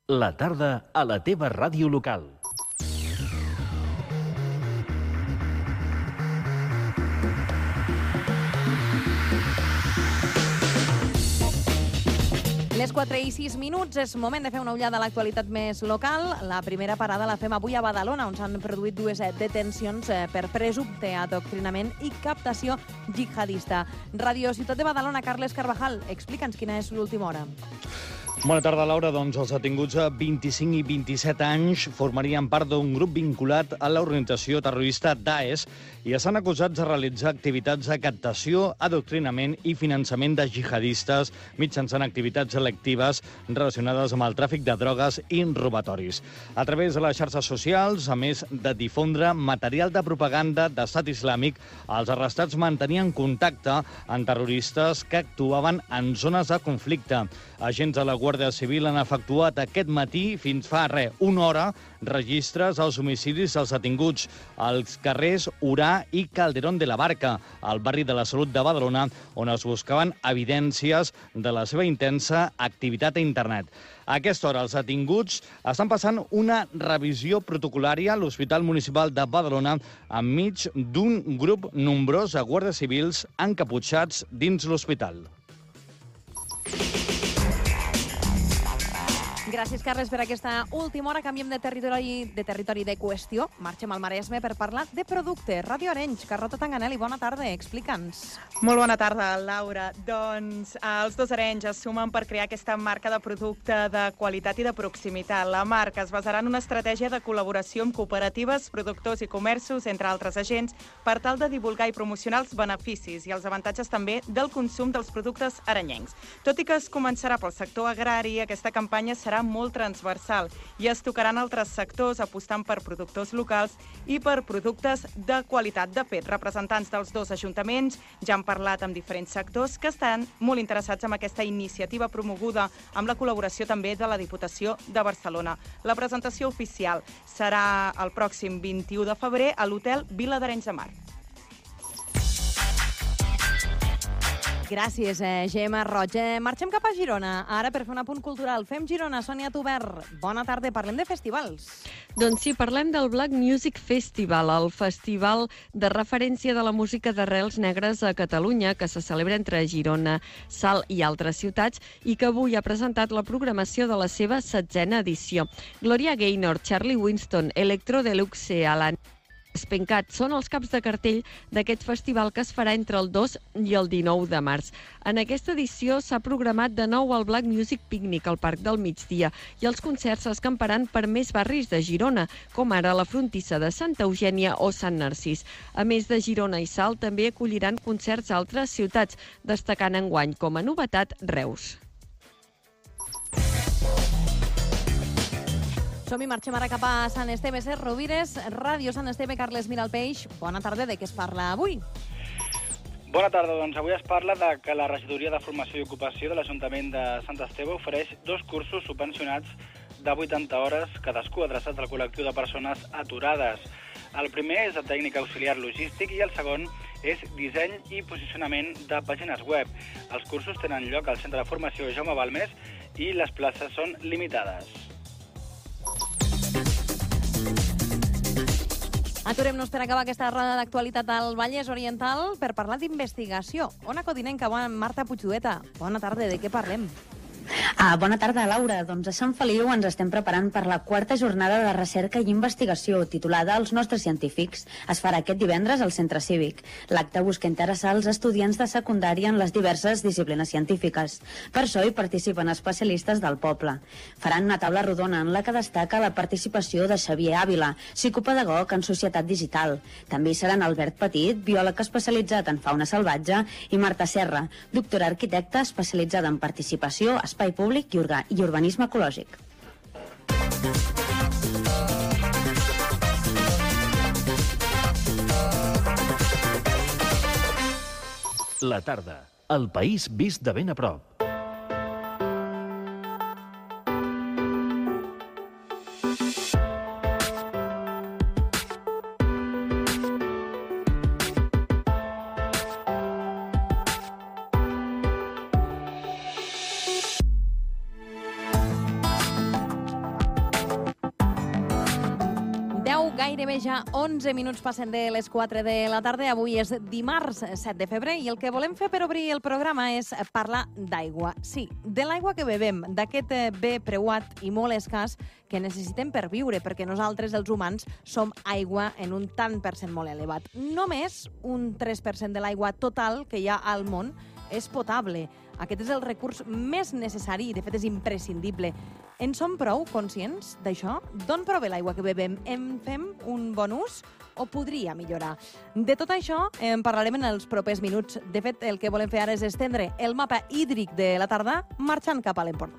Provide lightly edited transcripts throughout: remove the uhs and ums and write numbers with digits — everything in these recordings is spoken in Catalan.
La tarda a la teva ràdio local. Les 4:06, és moment de fer una ullada a l'actualitat més local. La primera parada la fem avui a Badalona, on s'han produït dues detencions per presumpte adoctrinament i captació jihadista. Ràdio Ciutat de Badalona, Carles Carvajal, explica'ns quina és l'última hora. Bona tarda, Laura. Doncs els detinguts a 25 i 27 anys formarien part d'un grup vinculat a l'organització terrorista Daesh i estan acusats de realitzar activitats de captació, adoctrinament i finançament de jihadistes mitjançant activitats selectives relacionades amb el tràfic de drogues i robatoris. A través de les xarxes socials, a més de difondre material de propaganda d'Estat Islàmic, els arrestats mantenien contacte amb terroristes que actuaven en zones de conflicte. Agents de la Guàrdia Civil han efectuat aquest matí, fins fa una hora, registres als homicidis dels detinguts als carrers Urà i Calderón de la Barca, al barri de la Salut de Badalona, on es buscaven evidències de la seva intensa activitat a internet. A aquesta hora, els detinguts estan passant una revisió protocolària a l'Hospital Municipal de Badalona enmig d'un grup nombrós de guàrdies civils encaputxats dins l'hospital. Gràcies, Carles, per aquesta última hora. Canviem de territori de qüestió. Marxem al Maresme per parlar de producte. Ràdio Arenys, Carlota Tanganelli, bona tarda, explica'ns. Molt bona tarda, Laura. Doncs els dos Arenys es sumen per crear aquesta marca de producte de qualitat i de proximitat. La marca es basarà en una estratègia de col·laboració amb cooperatives, productors i comerços, entre altres agents, per tal de divulgar i promocionar els beneficis i els avantatges també del consum dels productes arenyencs. Tot i que es començarà pel sector agrari, aquesta campanya serà molt transversal i es tocaran altres sectors apostant per productors locals i per productes de qualitat. De fet, representants dels dos ajuntaments ja han parlat amb diferents sectors que estan molt interessats en aquesta iniciativa promoguda amb la col·laboració també de la Diputació de Barcelona. La presentació oficial serà el pròxim 21 de febrer a l'Hotel Vila d'Arenys de Mar. Gràcies, Gemma Roig. Marxem cap a Girona, ara per fer un apunt cultural. Fem Girona, Sònia Tubert. Bona tarda, parlem de festivals. Doncs sí, parlem del Black Music Festival, el festival de referència de la música d'arrels negres a Catalunya, que se celebra entre Girona, Salt i altres ciutats, i que avui ha presentat la programació de la seva 16a edició. Gloria Gaynor, Charlie Winston, Electro Deluxe, Alan Spencat són els caps de cartell d'aquest festival que es farà entre el 2 i el 19 de març. En aquesta edició s'ha programat de nou el Black Music Picnic al Parc del Migdia i els concerts s'escamparan per més barris de Girona, com ara la Frontissa de Santa Eugènia o Sant Narcís. A més de Girona i Salt, també acolliran concerts a altres ciutats, destacant enguany com a novetat Reus. Som-hi, marxem ara cap a Sant Esteve, Rovires, Ràdio Sant Esteve, Carles Miralpeix. Bona tarda, de què es parla avui? Bona tarda, doncs avui es parla de que la Regidoria de Formació i Ocupació de l'Ajuntament de Sant Esteve ofereix 2 cursos subvencionats de 80 hores, cadascú adreçats al col·lectiu de persones aturades. El primer és de tècnic auxiliar logístic i el segon és disseny i posicionament de pàgines web. Els cursos tenen lloc al Centre de Formació Jaume Balmes i les places són limitades. Aturem-nos per acabar aquesta roda d'actualitat al Vallès Oriental per parlar d'investigació. Ona Codinenca, Marta Puigdueta. Bona tarda, de què parlem? Bona tarda, Laura. Doncs a Sant Feliu ens estem preparant per la 4a jornada de recerca i investigació titulada Els nostres científics. Es farà aquest divendres al Centre Cívic. L'acte busca interessar els estudiants de secundària en les diverses disciplines científiques. Per això hi participen especialistes del poble. Faran una taula rodona en la que destaca la participació de Xavier Ávila, psicopedagog en societat digital. També hi seran Albert Petit, biòleg especialitzat en fauna salvatge, i Marta Serra, doctora arquitecta especialitzada en participació, espai públic i urbanisme ecològic. La tarda, el país vist de ben a prop. 9, gairebé ja 11 minuts passen de les 4 de la tarda. Avui és dimarts 7 de febrer i el que volem fer per obrir el programa és parlar d'aigua. Sí, de l'aigua que bevem, d'aquest bé preuat i molt escàs que necessitem per viure, perquè nosaltres, els humans, som aigua en un tant per cent molt elevat. Només un 3% de l'aigua total que hi ha al món és potable. Aquest és el recurs més necessari i, de fet, és imprescindible. En som prou conscients d'això? D'on prové l'aigua que bevem? En fem un bon ús o podria millorar? De tot això en parlarem en els propers minuts. De fet, el que volem fer ara és estendre el mapa hídric de la tarda marxant cap a l'Empordà.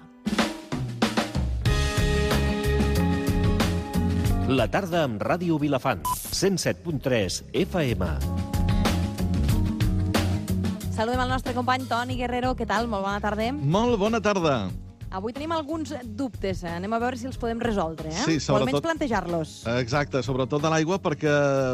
La tarda amb Ràdio Vilafant, 107.3 FM. Saludem el nostre company Toni Guerrero. Què tal? Molt bona tarda. Molt bona tarda. Avui tenim alguns dubtes. Anem a veure si els podem resoldre, Sí, o almenys plantejar-los. Exacte, sobretot de l'aigua, perquè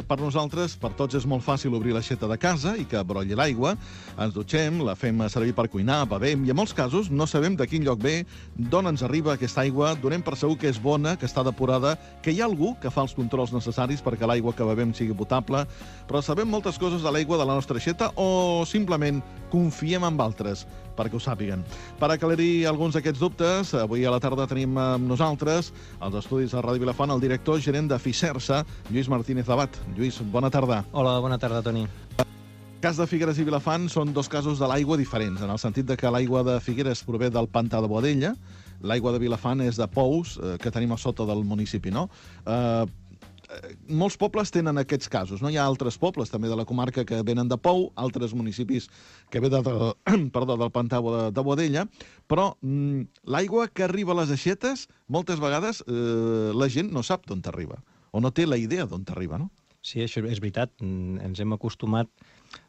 per nosaltres, per tots, és molt fàcil obrir l'aixeta de casa i que brolli l'aigua. Ens dutxem, la fem servir per cuinar, bevem, i en molts casos no sabem de quin lloc ve, d'on ens arriba aquesta aigua, donem per segur que és bona, que està depurada, que hi ha algú que fa els controls necessaris perquè l'aigua que bevem sigui potable, però sabem moltes coses de l'aigua de la nostra aixeta o simplement confiem en altres perquè ho sàpiguen. Per aclarir alguns d'aquests dubtes, avui a la tarda tenim amb nosaltres, als estudis de Ràdio Vilafant, el director gerent de Fisersa, Lluís Martínez Abad. Lluís, bona tarda. Hola, bona tarda, Toni. El cas de Figueres i Vilafant són dos casos de l'aigua diferents, en el sentit de que l'aigua de Figueres prové del pantà de Boadella, l'aigua de Vilafant és de pous que tenim a sota del municipi, no? Molts pobles tenen aquests casos, no? Hi ha altres pobles també de la comarca que venen de pou, altres municipis que ve del pantà de Boadella, però l'aigua que arriba a les aixetes, moltes vegades la gent no sap d'on arriba, o no té la idea d'on arriba, no? Sí, això és veritat. Ens hem acostumat,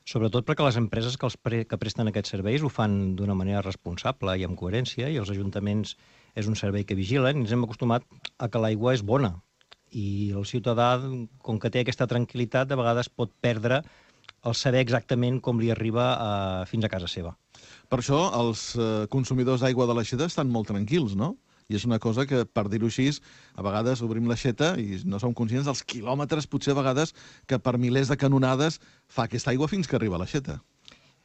sobretot perquè les empreses que presten aquests serveis ho fan d'una manera responsable i amb coherència, i els ajuntaments és un servei que vigilen, i ens hem acostumat a que l'aigua és bona. I el ciutadà, com que té aquesta tranquil·litat, de vegades pot perdre el saber exactament com li arriba fins a casa seva. Per això els consumidors d'aigua de l'aixeta estan molt tranquils, no? I és una cosa que, per dir-ho així, a vegades obrim l'aixeta i no som conscients dels quilòmetres, potser a vegades, que per milers de canonades fa aquesta aigua fins que arriba a l'aixeta.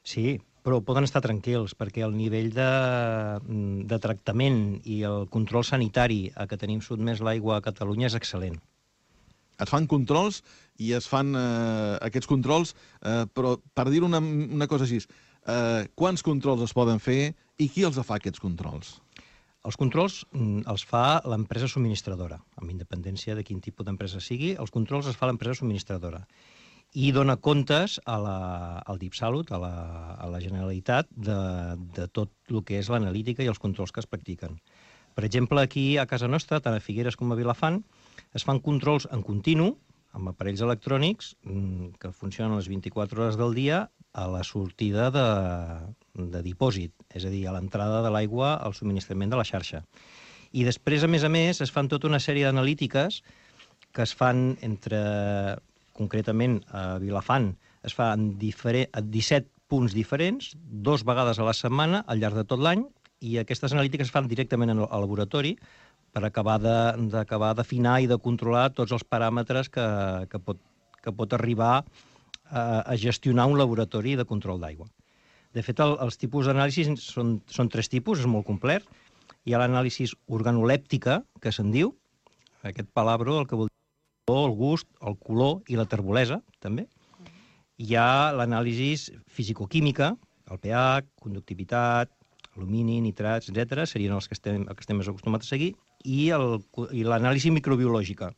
Sí, però poden estar tranquils, perquè el nivell de tractament i el control sanitari a què tenim sotmès l'aigua a Catalunya és excel·lent. Es fan controls i es fan aquests controls, però per dir una cosa així, quants controls es poden fer i qui els fa, aquests controls? Els controls els fa l'empresa subministradora, amb independència de quin tipus d'empresa sigui. Els controls els fa l'empresa subministradora i dona comptes al DIPSalut, a la Generalitat, de tot el que és l'analítica i els controls que es practiquen. Per exemple, aquí a casa nostra, tant a Figueres com a Vilafant, es fan controls en continu, amb aparells electrònics que funcionen les 24 hores del dia a la sortida de dipòsit, és a dir, a l'entrada de l'aigua al subministrament de la xarxa. I després, a més, es fan tota una sèrie d'analítiques que es fan concretament a Vilafant, es fa en 17 punts diferents, 2 vegades a la setmana, al llarg de tot l'any, i aquestes analítiques es fan directament al laboratori per acabar d'afinar i de controlar tots els paràmetres que pot arribar a gestionar un laboratori de control d'aigua. De fet, els tipus d'anàlisi són 3 tipus, és molt complet. Hi ha l'anàlisi organolèptica, que se'n diu, aquest palabro, el que vol dir el gust, el color i la terbolesa, també. Hi ha l'anàlisi fisicoquímica, el pH, conductivitat, alumini, nitrats, etc. serien els que estem més acostumats a seguir, i l'anàlisi microbiològica,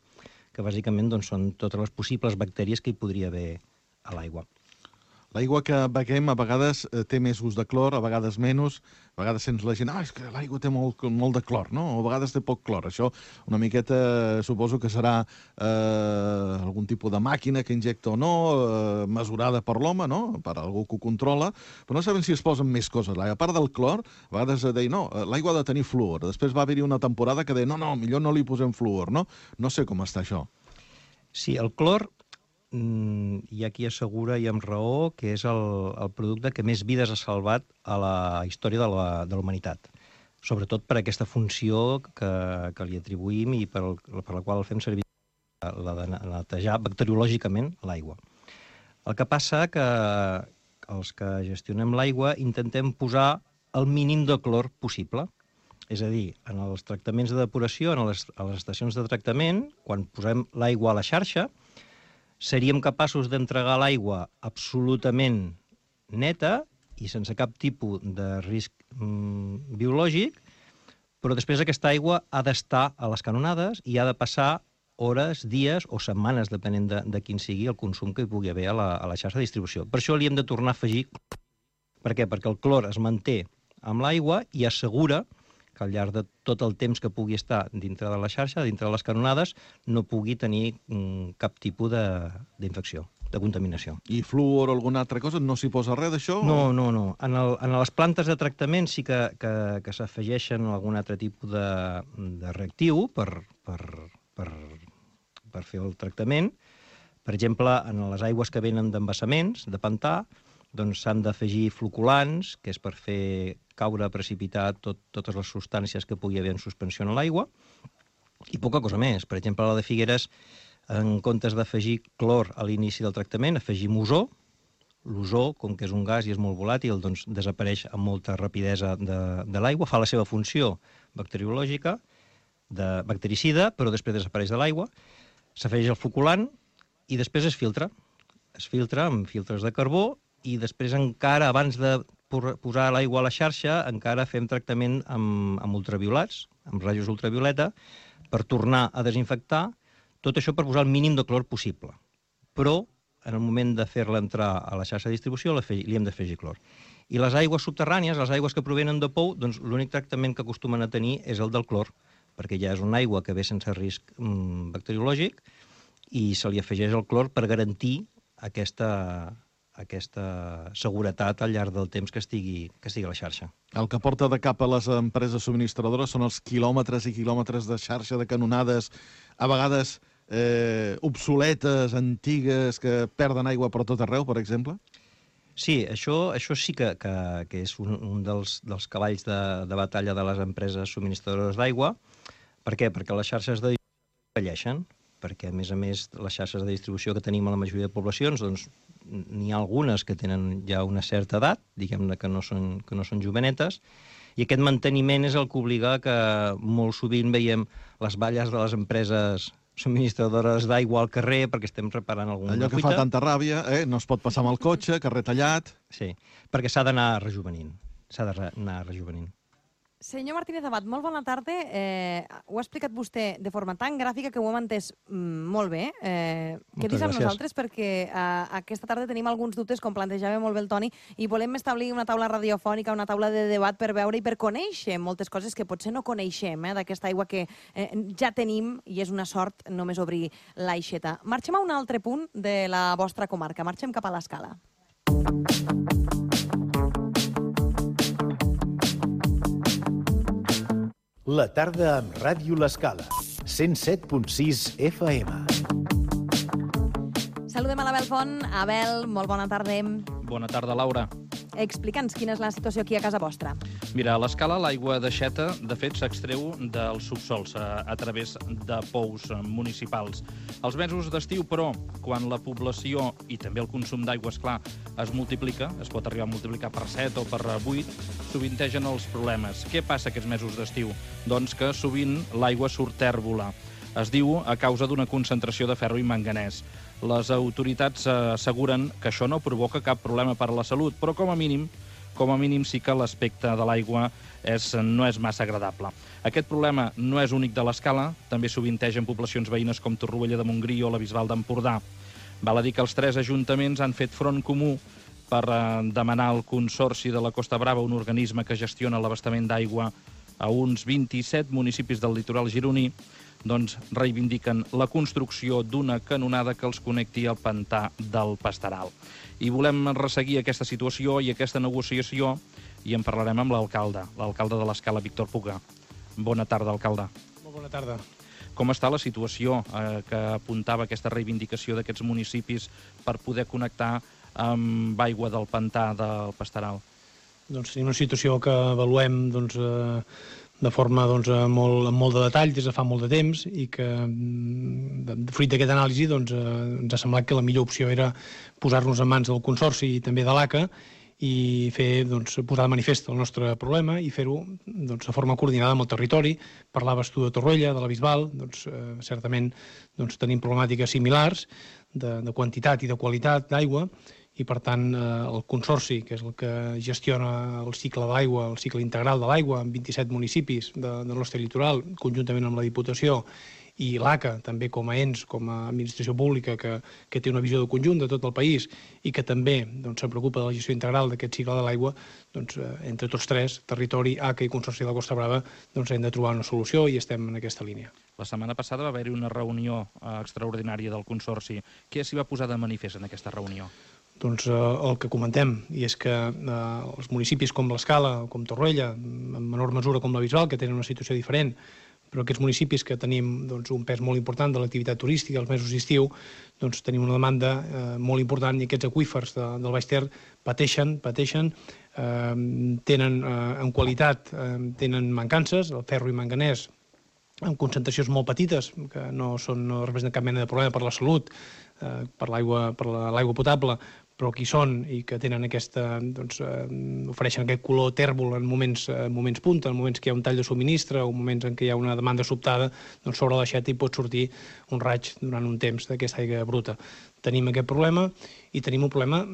que bàsicament són totes les possibles bactèries que hi podria haver a l'aigua. L'aigua que beguem a vegades té més gust de clor, a vegades menys, a vegades sents la gent, és que l'aigua té molt de clor, no? O a vegades té poc clor. Això una miqueta suposo que serà algun tipus de màquina que injecta o no, mesurada per l'home, no? Per algú que ho controla, però no sabem si es posen més coses. A part del clor, a vegades deia, no, l'aigua ha de tenir fluor. Després va haver-hi una temporada que deia, no, millor no li posem fluor, no? No sé com està això. Sí, el clor hi ha qui assegura, i amb raó, que és el producte que més vides ha salvat a la història de la humanitat. Sobretot per aquesta funció que li atribuïm i per la qual el fem servir. de netejar bacteriològicament l'aigua. El que passa que els que gestionem l'aigua intentem posar el mínim de clor possible. És a dir, en els tractaments de depuració, a les estacions de tractament, quan posem l'aigua a la xarxa, seríem capaços d'entregar l'aigua absolutament neta i sense cap tipus de risc biològic, però després aquesta aigua ha d'estar a les canonades i ha de passar hores, dies o setmanes, depenent de quin sigui el consum que hi pugui haver a la xarxa de distribució. Per això li hem de tornar a afegir. Per què? Perquè el clor es manté amb l'aigua i assegura que al llarg de tot el temps que pugui estar dintre de la xarxa, dintre de les canonades, no pugui tenir cap tipus d'infecció, de contaminació. I fluor o alguna altra cosa? No s'hi posa res d'això? No. En les plantes de tractament sí que s'afegeixen algun altre tipus de reactiu per fer el tractament. Per exemple, en les aigües que venen d'embassaments, de pantà, doncs s'han d'afegir floculants, que és per fer caure, precipitar totes les substàncies que pugui haver en suspensió en l'aigua, i poca cosa més. Per exemple, a la de Figueres, en comptes d'afegir clor a l'inici del tractament, afegim ozó. L'ozó, com que és un gas i és molt volàtil, doncs desapareix amb molta rapidesa de l'aigua, fa la seva funció bacteriològica, de bactericida, però després desapareix de l'aigua, s'afegeix el floculant i després es filtra. Es filtra amb filtres de carbó i després encara, abans de posar l'aigua a la xarxa, encara fem tractament amb ultraviolats, amb rajos ultravioleta, per tornar a desinfectar, tot això per posar el mínim de clor possible. Però, en el moment de fer-la entrar a la xarxa de distribució, li hem d'afegir clor. I les aigües subterrànies, les aigües que provenen de pou, doncs l'únic tractament que acostumen a tenir és el del clor, perquè ja és una aigua que ve sense risc bacteriològic i se li afegeix el clor per garantir aquesta seguretat al llarg del temps que estigui a la xarxa. El que porta de cap a les empreses subministradores són els quilòmetres i quilòmetres de xarxa de canonades, a vegades obsoletes, antigues, que perden aigua per tot arreu, per exemple? Sí, això sí que és un dels cavalls de batalla de les empreses subministradores d'aigua. Per què? Perquè les xarxes de distribució envelleixen, perquè, a més, les xarxes de distribució que tenim a la majoria de poblacions, doncs, n'hi ha algunes que tenen ja una certa edat, diguem-ne que no són jovenetes, i aquest manteniment és el que obliga que molt sovint veiem les valles de les empreses subministradores d'aigua al carrer perquè estem reparant alguna fuita. Allò que fa tanta ràbia, no es pot passar amb el cotxe, carrer tallat... Sí, perquè s'ha d'anar rejuvenint. Senyor Martínez Abad, molt bona tarda. Ho ha explicat vostè de forma tan gràfica que ho hem entès molt bé. Quedis amb nosaltres perquè aquesta tarda tenim alguns dubtes, com plantejava molt bé el Toni, i volem establir una taula radiofònica, una taula de debat per veure i per conèixer moltes coses que potser no coneixem d'aquesta aigua que ja tenim i és una sort només obrir l'aixeta. Marxem a un altre punt de la vostra comarca. Marxem cap a l'Escala. La tarda amb Ràdio L'Escala, 107.6 FM. Saludem a l'Abel Font. Abel, molt bona tarda. Bona tarda, Laura. Explica'ns quina és la situació aquí a casa vostra. Mira, a l'Escala l'aigua d'aixeta, de fet, s'extreu dels subsols a través de pous municipals. Els mesos d'estiu, però, quan la població i també el consum d'aigua, esclar, es multiplica, es pot arribar a multiplicar per 7 o per 8, sovintegen els problemes. Què passa aquests mesos d'estiu? Doncs que sovint l'aigua surt tèrbola. Es diu a causa d'una concentració de ferro i manganès. Les autoritats asseguren que això no provoca cap problema per a la salut, però com a mínim sí que l'aspecte de l'aigua no és massa agradable. Aquest problema no és únic de l'Escala, també sovinteja en poblacions veïnes com Torroella de Montgrí o la Bisbal d'Empordà. Val a dir que els 3 ajuntaments han fet front comú per demanar al Consorci de la Costa Brava, un organisme que gestiona l'abastament d'aigua a uns 27 municipis del litoral gironí, doncs reivindiquen la construcció d'una canonada que els connecti al pantà del Pastaral. I volem resseguir aquesta situació i aquesta negociació i en parlarem amb l'alcalde de l'Escala, Víctor Puga. Bona tarda, alcalde. Molt bona tarda. Com està la situació que apuntava aquesta reivindicació d'aquests municipis per poder connectar amb aigua del pantà del Pastaral? Doncs tenim una situació que avaluem de forma amb molt de detall des de fa molt de temps i que, fruit d'aquesta anàlisi, ens ha semblat que la millor opció era posar-nos en mans del Consorci i també de l'ACA i posar de manifest el nostre problema i fer-ho de forma coordinada amb el territori. Parlaves tu de Torroella, de la Bisbal, certament tenim problemàtiques similars de quantitat i de qualitat d'aigua i, per tant, el Consorci, que és el que gestiona el cicle de l'aigua, el cicle integral de l'aigua en 27 municipis del nostre litoral, conjuntament amb la Diputació, i l'ACA, també com a ens, com a administració pública, que té una visió de conjunt de tot el país i que també se'n preocupa de la gestió integral d'aquest cicle de l'aigua, entre tots tres, territori, ACA i Consorci de la Costa Brava, hem de trobar una solució i estem en aquesta línia. La setmana passada va haver-hi una reunió extraordinària del Consorci. Què s'hi va posar de manifest en aquesta reunió? El que comentem, i és que els municipis com l'Escala, com Torroella, en menor mesura com la Bisbal, que tenen una situació diferent, però aquests municipis que tenim un pes molt important de l'activitat turística als mesos d'estiu, tenim una demanda molt important i aquests aqüífers del Baix Ter pateixen, tenen en qualitat, tenen mancances, el ferro i manganès, amb concentracions molt petites, que no representen cap mena de problema per la salut, per l'aigua potable, però que hi són i que tenen ofereixen aquest color tèrbol en moments punta, en moments que hi ha un tall de subministre o en moments en què hi ha una demanda sobtada, sobre l'aixeta hi pot sortir un raig durant un temps d'aquesta aigua bruta. Tenim aquest problema i tenim un problema,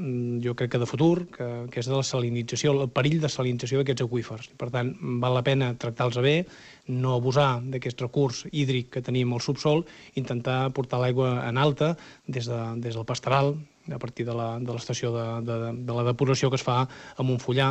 jo crec que de futur, que és de la salinització, el perill de salinització d'aquests aqüífers. Per tant, val la pena tractar-los bé, no abusar d'aquest recurs hídric que tenim al subsol, intentar portar l'aigua en alta des del pastoral, a partir de l'estació de la depuració que es fa a Montfullà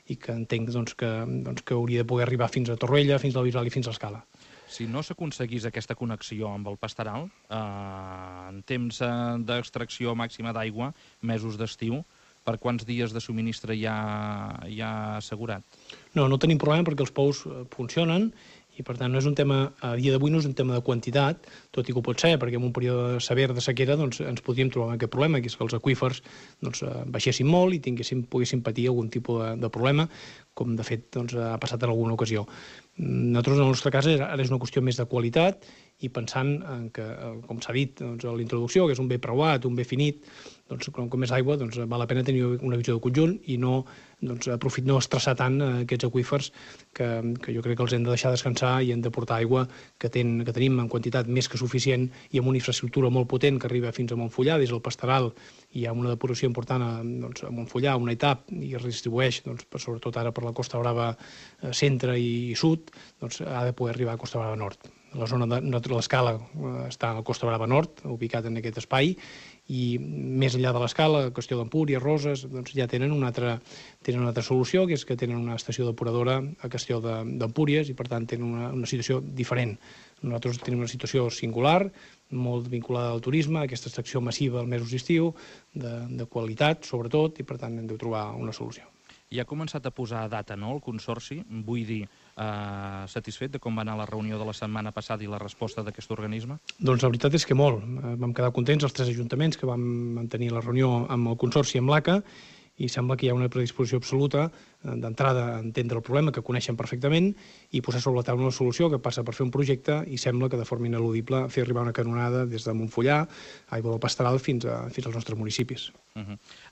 i que entenc que hauria de poder arribar fins a Torroella, fins a la Bisbal i fins a l'Escala. Si no s'aconseguís aquesta connexió amb el pastoral, en temps d'extracció màxima d'aigua, mesos d'estiu, per quants dies de subministre hi ha assegurat? No tenim problema perquè els pous funcionen i, per tant, no és un tema, a dia d'avui no és un tema de quantitat, tot i que ho pot ser, perquè en un període sever de sequera ens podríem trobar amb aquest problema, que és que els aqüífers baixessin molt i poguessin patir algun tipus de problema, com de fet ha passat en alguna ocasió. Nosaltres, en el nostre cas, ara és una qüestió més de qualitat i pensant que, com s'ha dit a la introducció, que és un bé preuat, un bé finit, com és aigua, val la pena tenir una visió de conjunt i no estressar tant aquests aqüífers que jo crec que els hem de deixar descansar i hem de portar aigua que tenim en quantitat més que suficient i amb una infraestructura molt potent que arriba fins a Montfullà, des del pastoral hi ha una depuració important a Montfullà, una etapa, i es redistribueix, sobretot ara per la Costa Brava centre i sud, ha de poder arribar a Costa Brava nord. La zona de l'Escala està a la Costa Brava nord, ubicat en aquest espai, i més enllà de l'Escala, qüestió d'Empúries, Roses, ja tenen una altra solució, que és que tenen una estació depuradora a qüestió d'Empúries i, per tant, tenen una situació diferent. Nosaltres tenim una situació singular, molt vinculada al turisme, aquesta extracció massiva als mesos d'estiu, de qualitat, sobretot, i, per tant, hem de trobar una solució. I ha començat a posar data, no?, el Consorci, vull dir, satisfet de com va anar la reunió de la setmana passada i la resposta d'aquest organisme? Doncs la veritat és que molt. Vam quedar contents els 3 ajuntaments que vam mantenir la reunió amb el Consorci i amb l'ACA i sembla que hi ha una predisposició absoluta d'entrada a entendre el problema, que coneixen perfectament, i posar sobre la taula una solució que passa per fer un projecte i sembla que de forma ineludible fer arribar una canonada des de Montfullà, aigua del pastoral, fins als nostres municipis.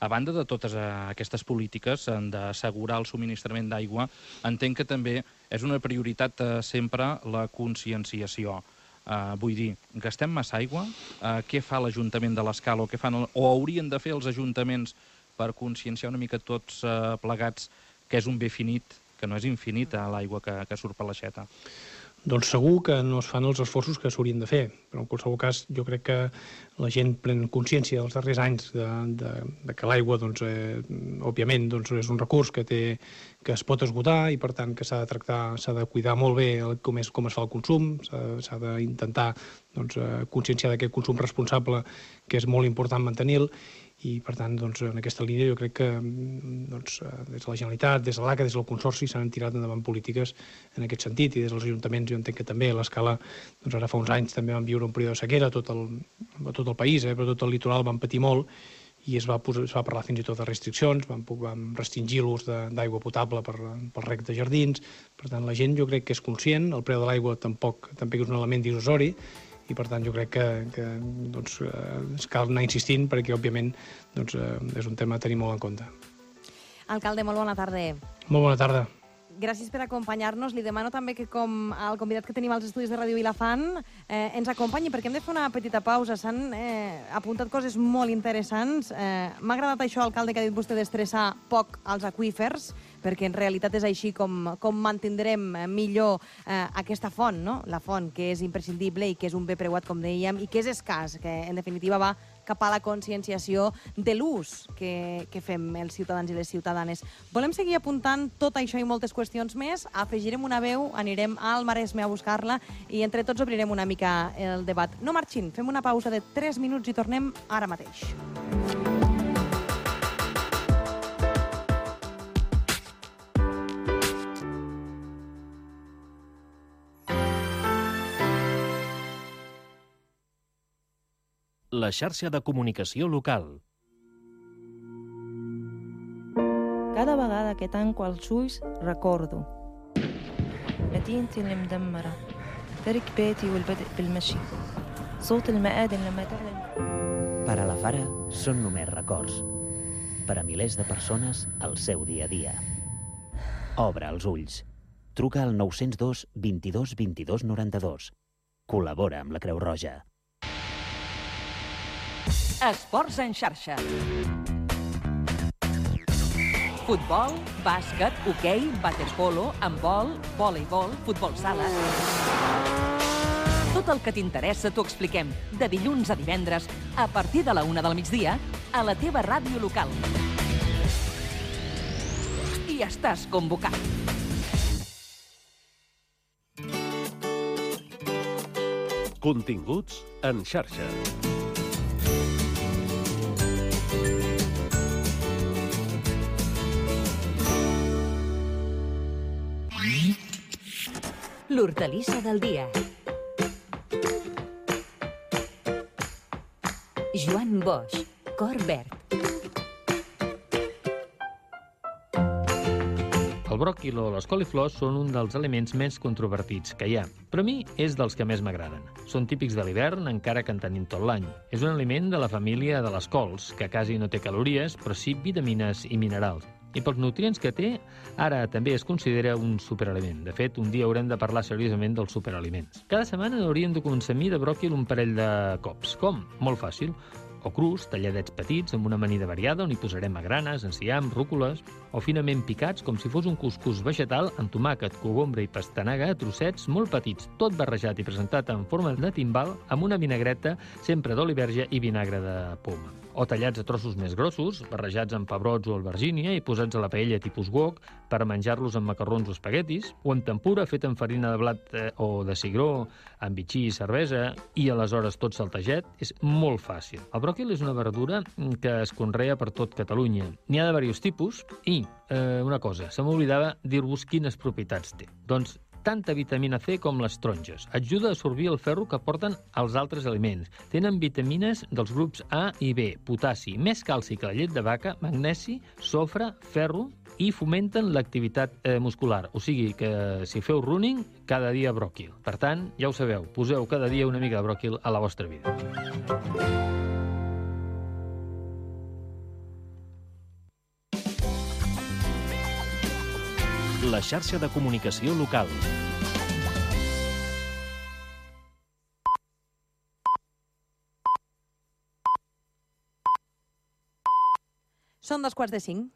A banda de totes aquestes polítiques d'assegurar el subministrament d'aigua, entenc que també és una prioritat sempre la conscienciació. Vull dir, gastem massa aigua? Què fa l'Ajuntament de l'Escala o haurien de fer els ajuntaments per conscienciar una mica tots plegats que és un bé finit, que no és infinit l'aigua que surt per l'aixeta? Doncs segur que no es fan els esforços que s'haurien de fer, però en qualsevol cas jo crec que la gent pren consciència els darrers anys de que l'aigua, òbviament, és un recurs que es pot esgotar i per tant que s'ha de tractar, s'ha de cuidar molt bé com es fa el consum, s'ha d'intentar conscienciar d'aquest consum responsable que és molt important mantenir-lo i, per tant, en aquesta línia jo crec que des de la Generalitat, des de l'ACA, des del Consorci s'han tirat endavant polítiques en aquest sentit i des dels ajuntaments jo entenc que també a l'Escala, ara fa uns anys també vam viure un període de sequera a tot el país, però tot el litoral vam patir molt i es va parlar fins i tot de restriccions, vam restringir l'ús d'aigua potable pel reg de jardins. Per tant, la gent jo crec que és conscient, el preu de l'aigua tampoc és un element dissuasori, i per tant jo crec que cal anar insistint perquè, òbviament, és un tema a tenir molt en compte. Alcalde, molt bona tarda. Molt bona tarda. Gràcies per acompanyar-nos. Li demano també que, com el convidat que tenim als estudis de Ràdio Vilafant, ens acompanyi, perquè hem de fer una petita pausa. S'han apuntat coses molt interessants. M'ha agradat això, alcalde, que ha dit vostè d'estressar poc als aqüífers, perquè en realitat és així com mantindrem millor aquesta font, no? La font, que és imprescindible i que és un bé preuat, com dèiem, i que és escàs, que en definitiva va cap a la conscienciació de l'ús que fem els ciutadans i les ciutadanes. Volem seguir apuntant tot això i moltes qüestions més. Afegirem una veu, anirem al Maresme a buscar-la i entre tots obrirem una mica el debat. No marxin, fem una pausa de 3 minuts i tornem ara mateix. La xarxa de comunicació local. Cada vegada que tanco els ulls recordo مدينتي المدمرة ترك بيتي والبدء بالمشي صوت المآذن لما تعلن. Per a la Fara són només records. Per a milers de persones, el seu dia a dia. Obre els ulls. Truca al 902 22 22 92. Col·labora amb la Creu Roja. Esports en xarxa. Futbol, bàsquet, hoquei, waterpolo, handbol, voleibol, futbol sala... Tot el que t'interessa t'ho expliquem de dilluns a divendres a partir de la 1 del migdia a la teva ràdio local. I estàs convocat. Continguts en xarxa. L'hortalissa del dia. Joan Boix, cor verd. El bròquil o les coliflors són un dels aliments més controvertits que hi ha, però a mi és dels que més m'agraden. Són típics de l'hivern, encara que en tenim tot l'any. És un aliment de la família de les cols, que quasi no té calories, però sí vitamines i minerals. I pels nutrients que té, ara també es considera un superaliment. De fet, un dia haurem de parlar seriosament dels superaliments. Cada setmana hauríem de consumir de bròquil un parell de cops. Com? Molt fàcil. O crus, talladets petits, amb una amanida variada on hi posarem magranes, enciam, rúcoles, o finament picats com si fos un cuscús vegetal amb tomàquet, cogombre i pastanaga a trossets molt petits, tot barrejat i presentat en forma de timbal amb una vinagreta sempre d'oli verge i vinagre de poma. O tallats a trossos més grossos, barrejats amb pebrots o albergínia i posats a la paella tipus wok per menjar-los amb macarrons o espaguetis, o en tempura fet amb farina de blat o de cigró, amb bitxí i cervesa, i aleshores tot saltejat, és molt fàcil. El bròquil és una verdura que es conrea per tot Catalunya. N'hi ha de diversos tipus i, una cosa, se m'oblidava dir-vos quines propietats té. Doncs tanta vitamina C com les taronges. Ajuda a absorbir el ferro que porten els altres aliments. Tenen vitamines dels grups A i B, potassi, més calci que la llet de vaca, magnesi, sofre, ferro i fomenten l'activitat muscular. O sigui que si feu running, cada dia bròquil. Per tant, ja ho sabeu, poseu cada dia una mica de bròquil a la vostra vida. La xarxa de comunicació local. Són 4:45.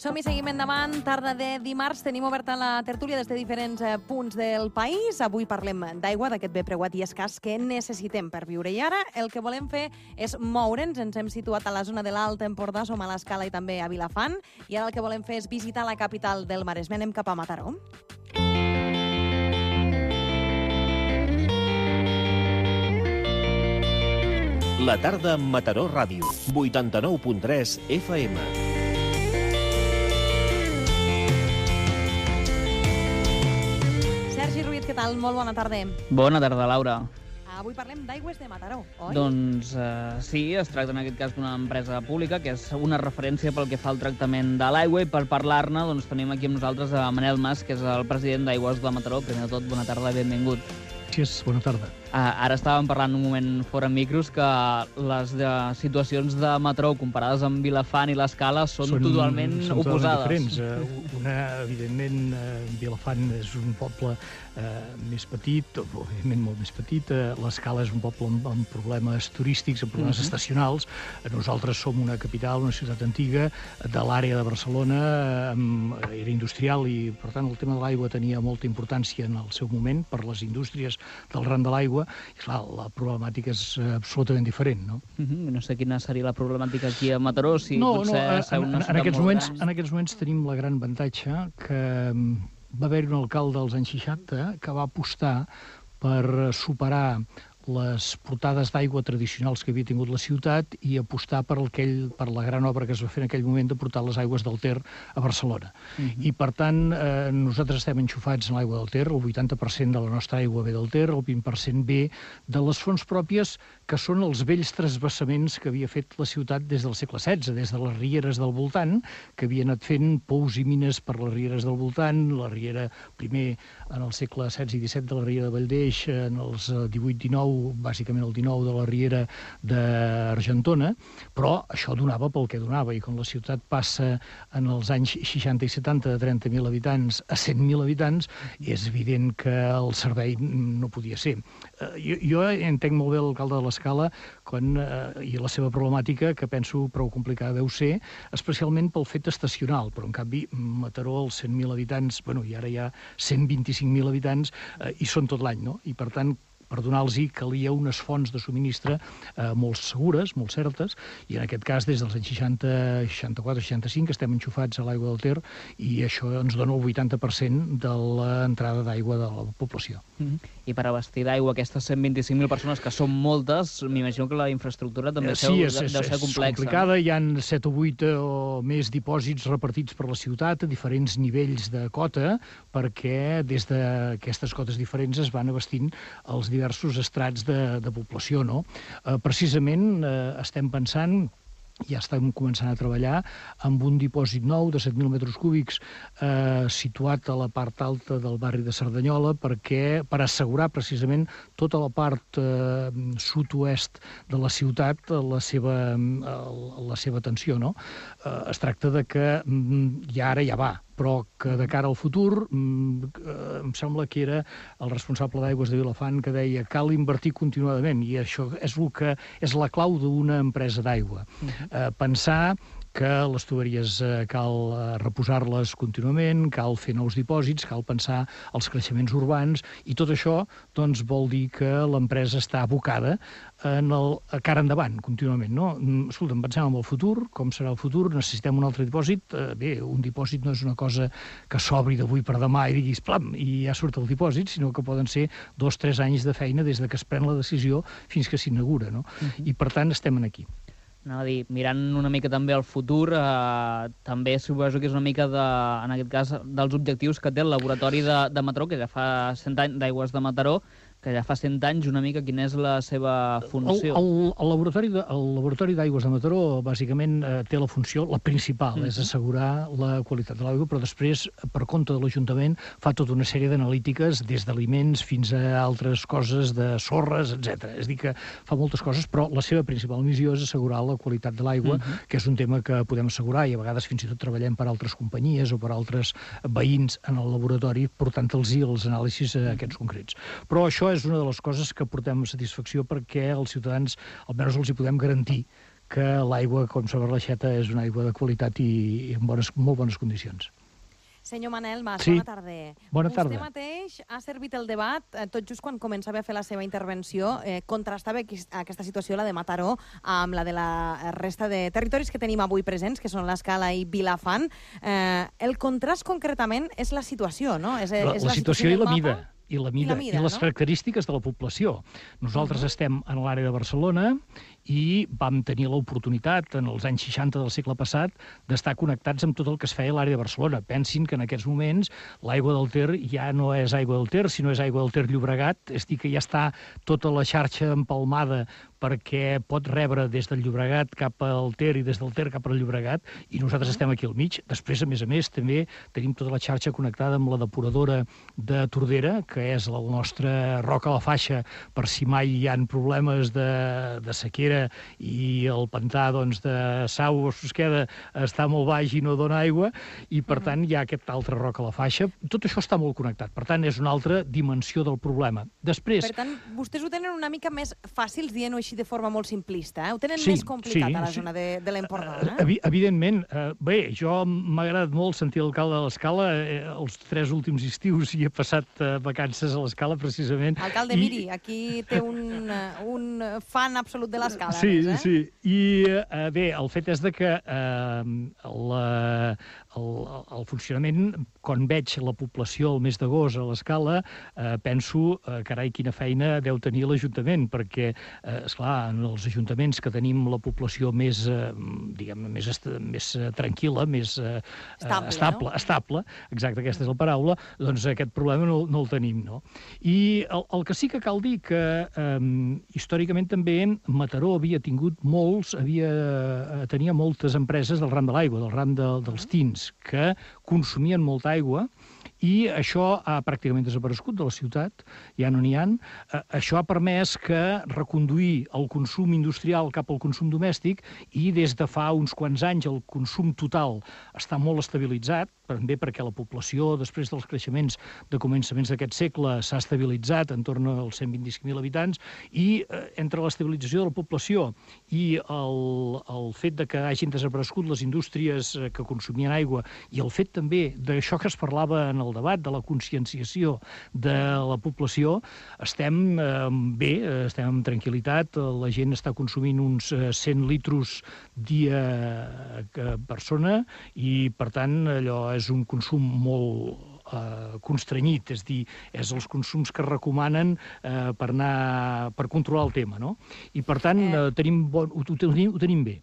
Som-hi, seguim endavant. Tarda de dimarts tenim oberta la tertúlia des de diferents punts del país. Avui parlem d'aigua, d'aquest bé preuat i escàs que necessitem per viure. I ara el que volem fer és moure'ns. Ens hem situat a la zona de l'Alt Empordà, som a l'Escala i també a Vilafant. I ara el que volem fer és visitar la capital del Maresme. Anem cap a Mataró. La tarda amb Mataró Ràdio, 89.3 FM. Sergi Ruiz, què tal? Molt bona tarda. Bona tarda, Laura. Avui parlem d'Aigües de Mataró, oi? Doncs sí, es tracta en aquest cas d'una empresa pública que és una referència pel que fa al tractament de l'aigua, i per parlar-ne doncs, tenim aquí amb nosaltres a Manel Mas, que és el president d'Aigües de Mataró. Primer de tot, bona tarda i benvingut. Gràcies, bona tarda. Ara estàvem parlant un moment fora micros que les situacions de Mataró comparades amb Vilafant i l'Escala són totalment oposades. Diferents. Evidentment, Vilafant és un poble més petit, òbviament molt més petit. L'Escala és un poble amb problemes turístics, amb problemes estacionals. Nosaltres som una capital, una ciutat antiga de l'àrea de Barcelona, era industrial i, per tant, el tema de l'aigua tenia molta importància en el seu moment per les indústries del ram de l'aigua. I, clar, la problemàtica és absolutament diferent, no? No sé quina seria la problemàtica aquí a Mataró, si potser en aquests moments tenim la gran avantatge que va haver un alcalde als anys 60 que va apostar per superar les portades d'aigua tradicionals que havia tingut la ciutat i apostar per la gran obra que es va fer en aquell moment de portar les aigües del Ter a Barcelona. I, per tant, nosaltres estem enxufats en l'aigua del Ter, el 80% de la nostra aigua ve del Ter, el 20% ve de les fonts pròpies, que són els vells transvassaments que havia fet la ciutat des del segle XVI, des de les rieres del voltant, que havia anat fent pous i mines per les rieres del voltant, la riera, primer en el segle XVI i XVII de la riera de Valldeix, en els 18-19, bàsicament el 19 de la riera d'Argentona, però això donava pel que donava, i quan la ciutat passa en els anys 60 i 70 de 30.000 habitants a 100.000 habitants, és evident que el servei no podia ser. Jo entenc molt bé l'alcalde de l'Escala i la seva problemàtica, que penso prou complicada deu ser, especialment pel fet estacional, però en canvi Mataró, els 100.000 habitants, i ara hi ha 125.000 habitants, i són tot l'any, no? I per tant, per donar-los calia unes fonts de subministre molt segures, molt certes, i en aquest cas, des dels anys 60, 64, 65, estem enxufats a l'aigua del Ter, i això ens dona el 80% de l'entrada d'aigua de la població. I per abastir d'aigua aquestes 125.000 persones, que són moltes, m'imagino que la infraestructura també deu ser complexa. Sí, és complicada. Hi ha 7 o 8 o més dipòsits repartits per la ciutat a diferents nivells de cota, perquè des d'aquestes cotes diferents es van abastint els diversos estrats de població, no? Precisament estem pensant, ja estem començant a treballar amb un dipòsit nou de 7.000 metres cúbics situat a la part alta del barri de Cerdanyola per assegurar precisament tota la part sud-oest de la ciutat la seva atenció, no? Es tracta de que ara ja va, però que de cara al futur em sembla que era el responsable d'Aigües de Vilafant que deia cal invertir continuadament, i això és la clau d'una empresa d'aigua. Pensar que les tuberies cal reposar-les contínuament, cal fer nous dipòsits, cal pensar els creixements urbans, i tot això doncs, vol dir que l'empresa està abocada a cara endavant, contínuament, no? Escolta, pensem en el futur, com serà el futur, necessitem un altre dipòsit. Bé, un dipòsit no és una cosa que s'obri d'avui per demà i diguis, plam, i ja surt el dipòsit, sinó que poden ser 2-3 anys de feina des que es pren la decisió fins que s'inaugura, no? I, per tant, estem aquí. Anava a dir, mirant una mica també al futur, també suposo que és una mica, en aquest cas, dels objectius que té el laboratori de Mataró, que ja fa 100 anys d'Aigües de Mataró, que ja fa 100 anys una mica quina és la seva funció. El laboratori d'Aigües de Mataró bàsicament té la funció, la principal, és assegurar la qualitat de l'aigua, però després, per compte de l'Ajuntament, fa tota una sèrie d'analítiques, des d'aliments fins a altres coses, de sorres, etc. És a dir, que fa moltes coses, però la seva principal missió és assegurar la qualitat de l'aigua, que és un tema que podem assegurar, i a vegades fins i tot treballem per altres companyies o per altres veïns en el laboratori, portant-los els anàlisis aquests concrets. Però això és una de les coses que portem amb satisfacció perquè als ciutadans almenys els hi podem garantir que l'aigua, com sobre l'aixeta, és una aigua de qualitat i en molt bones condicions. Senyor Manel Mas, sí. Bona tarda. Bona tarda. Vostè mateix ha servit el debat, tot just quan començava a fer la seva intervenció, contrastava aquesta situació, la de Mataró, amb la de la resta de territoris que tenim avui presents, que són l'Escala i Vilafant. El contrast concretament és la situació, no? La situació i la mida. I les característiques de la població. Nosaltres estem en l'àrea de Barcelona i vam tenir l'oportunitat, en els anys 60 del segle passat, d'estar connectats amb tot el que es feia a l'àrea de Barcelona. Pensin que en aquests moments l'aigua del Ter ja no és aigua del Ter, sinó és aigua del Ter Llobregat, és a dir, que ja està tota la xarxa empalmada perquè pot rebre des del Llobregat cap al Ter i des del Ter cap al Llobregat, i nosaltres estem aquí al mig. Després, a més, també tenim tota la xarxa connectada amb la depuradora de Tordera, que és el nostre roc a la faixa per si mai hi ha problemes de sequera i el pantà de Sau o Susqueda està molt baix i no dona aigua, i per tant hi ha aquest altre roc a la faixa. Tot això està molt connectat, per tant és una altra dimensió del problema. Després... Per tant, vostès ho tenen una mica més fàcils, dient-ho així de forma molt simplista, Ho tenen més complicat a la zona de l'Empordà, Evidentment. Bé, jo m'ha agradat molt sentir l'alcalde de l'Escala. Els 3 últims estius hi he passat vacances a l'Escala, precisament. Alcalde, miri, aquí té un fan absolut de l'Escala. Sí. I bé, el fet és que el funcionament, quan veig la població el mes d'agost a l'Escala, penso, carai, quina feina deu tenir l'Ajuntament, perquè, esclar, en els ajuntaments que tenim la població més, diguem-ne, més tranquil·la, més estable, exacte, aquesta és la paraula, doncs aquest problema no el tenim, no? I el que sí que cal dir que històricament també Mataró tenia moltes empreses del ram de l'aigua, del ram dels tins, que consumien molta aigua, i això ha pràcticament desaparegut de la ciutat, ja no n'hi ha. Això ha permès que reconduir el consum industrial cap al consum domèstic, i des de fa uns quants anys el consum total està molt estabilitzat, també perquè la població, després dels creixements de començaments d'aquest segle, s'ha estabilitzat en torn als 125.000 habitants, i entre l'estabilització de la població i el fet de que hagin desaparegut les indústries que consumien aigua, i el fet també d'això que es parlava en el debat, de la conscienciació de la població, estem bé, estem amb tranquil·litat, la gent està consumint uns 100 litros dia per persona, i per tant allò és un consum molt constrenyit, és dir, és els consums que recomanen per controlar el tema, no? I per tant ho tenim bé.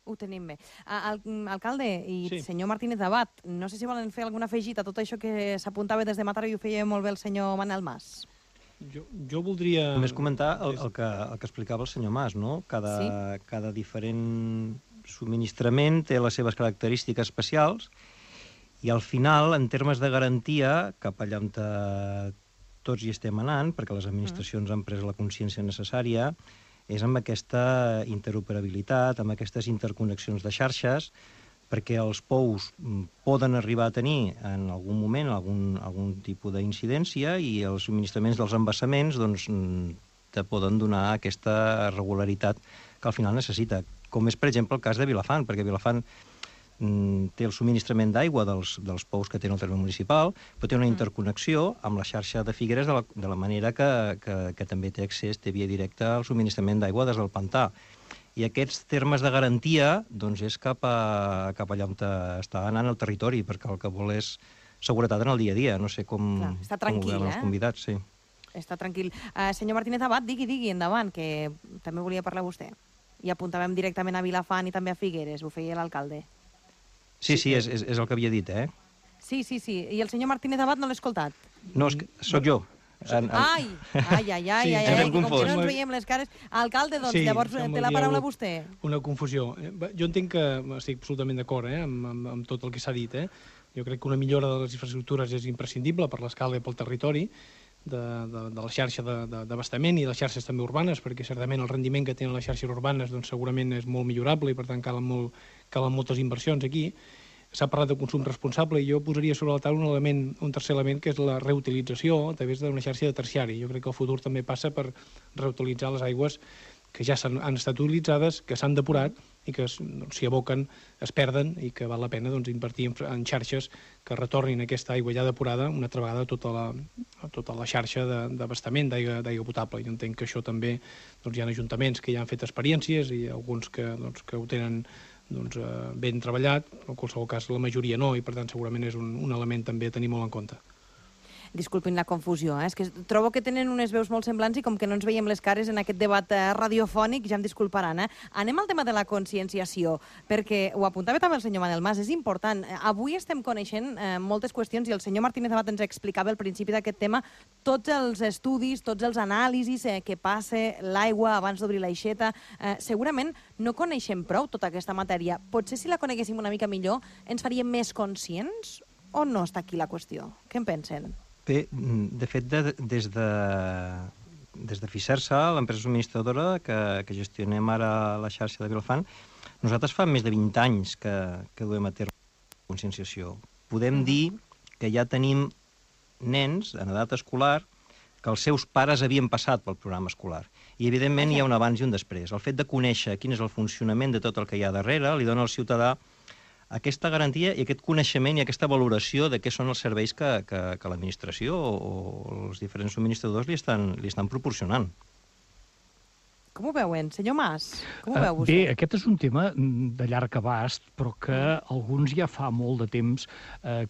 Ho tenim bé. Alcalde i senyor Martínez Abad, no sé si volen fer algun afegit a tot això que s'apuntava des de Mataró, i ho feia molt bé el senyor Manel Mas. Jo voldria... Només comentar el que explicava el senyor Mas, no? Cada diferent subministrament té les seves característiques especials, i al final, en termes de garantia, cap allà on tots hi estem anant, perquè les administracions han pres la consciència necessària, és amb aquesta interoperabilitat, amb aquestes interconnexions de xarxes, perquè els pous poden arribar a tenir en algun moment algun tipus d'incidència, i els subministraments dels embassaments te poden donar aquesta regularitat que al final necessita. Com és, per exemple, el cas de Vilafant, perquè Vilafant té el subministrament d'aigua dels pous que té el terme municipal, però té una interconnexió amb la xarxa de Figueres de la manera que també té accés, té via directa al subministrament d'aigua des del pantà. I aquests termes de garantia és cap allà on està anant el territori, perquè el que vol és seguretat en el dia a dia. No sé com ho veuen els convidats. Està tranquil. Senyor Martínez Abad, digui, endavant, que també volia parlar vostè. I apuntàvem directament a Vilafant i també a Figueres, ho feia l'alcalde. Sí, és el que havia dit, Sí. I el senyor Martínez Abad no l'he escoltat. No, sóc jo. Ai, com que no ens veiem les cares. Alcalde, doncs, llavors té la paraula vostè. Una confusió. Jo entenc que estic absolutament d'acord amb tot el que s'ha dit. Jo crec que una millora de les infraestructures és imprescindible per l'escala i pel territori, de la xarxa d'abastament i les xarxes també urbanes, perquè certament el rendiment que tenen les xarxes urbanes segurament és molt millorable, i per tant calen moltes inversions aquí. S'ha parlat de consum responsable, i jo posaria sobre la taula un tercer element, que és la reutilització a través d'una xarxa de terciari. Jo crec que el futur també passa per reutilitzar les aigües que ja han estat utilitzades, que s'han depurat i que s'hi aboquen, es perden, i que val la pena invertir en xarxes que retornin aquesta aigua ja depurada una altra vegada a tota la xarxa d'abastament d'aigua potable. Jo entenc que això també hi ha ajuntaments que ja han fet experiències, i alguns que ho tenen ben treballat, però en qualsevol cas la majoria no, i per tant segurament és un element també a tenir molt en compte. Disculpin la confusió, és que trobo que tenen unes veus molt semblants i com que no ens veiem les cares en aquest debat radiofònic, ja em disculparan. Anem al tema de la conscienciació, perquè ho apuntava també el senyor Manel Mas, és important. Avui estem coneixent moltes qüestions i el senyor Martínez Amat ens explicava al principi d'aquest tema tots els estudis, tots els anàlisis que passa l'aigua abans d'obrir l'aixeta. Segurament no coneixem prou tota aquesta matèria. Potser si la coneguéssim una mica millor ens faríem més conscients o no està aquí la qüestió? Què en pensen? Bé, de fet, des de Fisersa, l'empresa subministradora que gestionem ara la xarxa de Vilafant, nosaltres fa més de 20 anys que duem a terme la conscienciació. Podem dir que ja tenim nens en edat escolar que els seus pares havien passat pel programa escolar. I, evidentment, hi ha un abans i un després. El fet de conèixer quin és el funcionament de tot el que hi ha darrere li dona al ciutadà aquesta garantia i aquest coneixement i aquesta valoració de què són els serveis que l'administració o els diferents subministradors li estan proporcionant. Com ho veuen, senyor Mas? Com ho veu vostè? Bé, aquest és un tema de llarg abast, però que alguns ja fa molt de temps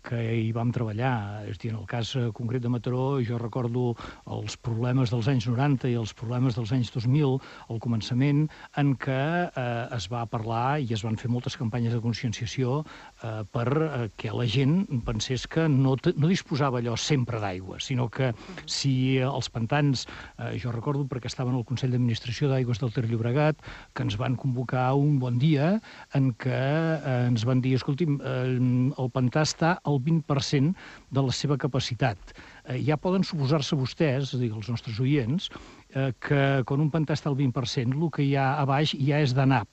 que hi vam treballar. És a dir, en el cas concret de Mataró, jo recordo els problemes dels anys 90 i els problemes dels anys 2000, al començament, en què es va parlar i es van fer moltes campanyes de conscienciació perquè la gent pensés que no disposava allò sempre d'aigua, sinó que si els pantans, jo recordo perquè estava en el Consell d'Administració d'Aigües del Ter Llobregat, que ens van convocar un bon dia en què ens van dir, escolti'm, el pantà està al 20% de la seva capacitat. Ja poden suposar-se vostès, és a dir, els nostres oients, que quan un pantà està al 20%, el que hi ha a baix ja és de nap,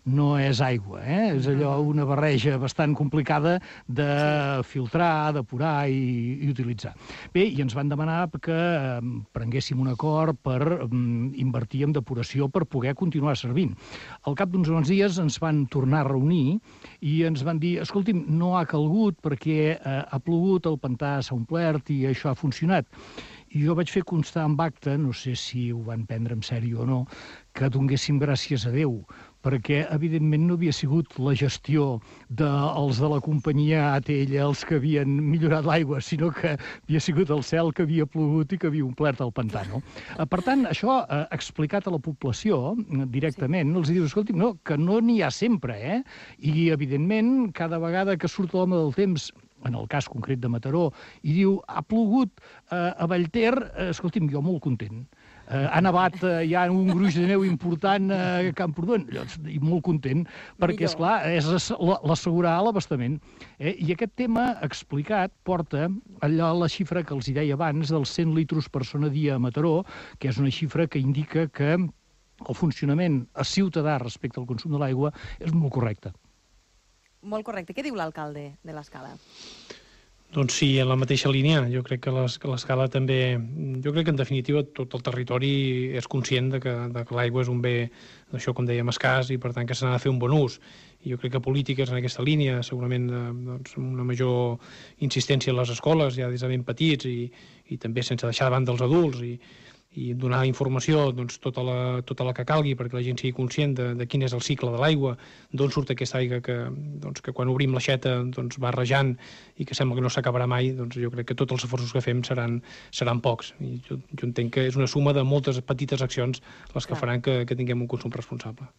no és aigua, és allò una barreja bastant complicada de filtrar, depurar i utilitzar. Bé, i ens van demanar que prenguéssim un acord per invertir en depuració per poder continuar servint. Al cap d'uns bons dies ens van tornar a reunir i ens van dir, escolti'm, no ha calgut perquè ha plogut, el pantà s'ha omplert i això ha funcionat. I jo vaig fer constar en acte, no sé si ho van prendre en sèrio o no, que donéssim gràcies a Déu, perquè, evidentment, no havia sigut la gestió dels de la companyia ATL els que havien millorat l'aigua, sinó que havia sigut el cel que havia plogut i que havia omplert el pantà, no? Per tant, això, explicat a la població directament, els dius, escolti'm, no, que no n'hi ha sempre, I, evidentment, cada vegada que surt l'home del temps, en el cas concret de Mataró, i diu, ha plogut a Vallter, escolti'm, jo molt content. Ha nevat, hi ha un gruix de neu important a Camprodon, i molt content, perquè, esclar, és l'assegurar l'abastament. I aquest tema explicat porta allò la xifra que els deia abans dels 100 litres per persona dia a Mataró, que és una xifra que indica que el funcionament ciutadà respecte al consum de l'aigua és molt correcte. Molt correcte. Què diu l'alcalde de l'Escala? Doncs sí, en la mateixa línia. Jo crec que l'Escala també... Jo crec que, en definitiva, tot el territori és conscient de que l'aigua és un bé, això com dèiem, escàs, i per tant que se n'ha de fer un bon ús. I jo crec que polítiques en aquesta línia, segurament una major insistència en les escoles, ja des de ben petits, i també sense deixar de banda els adults, i donar informació, tota la que calgui perquè la gent sigui conscient de quin és el cicle de l'aigua, d'on surt aquesta aigua que quan obrim l'aixeta va rejant i que sembla que no s'acabarà mai. Jo crec que tots els esforços que fem seran pocs. I jo entenc que és una suma de moltes petites accions les que faran que tinguem un consum responsable.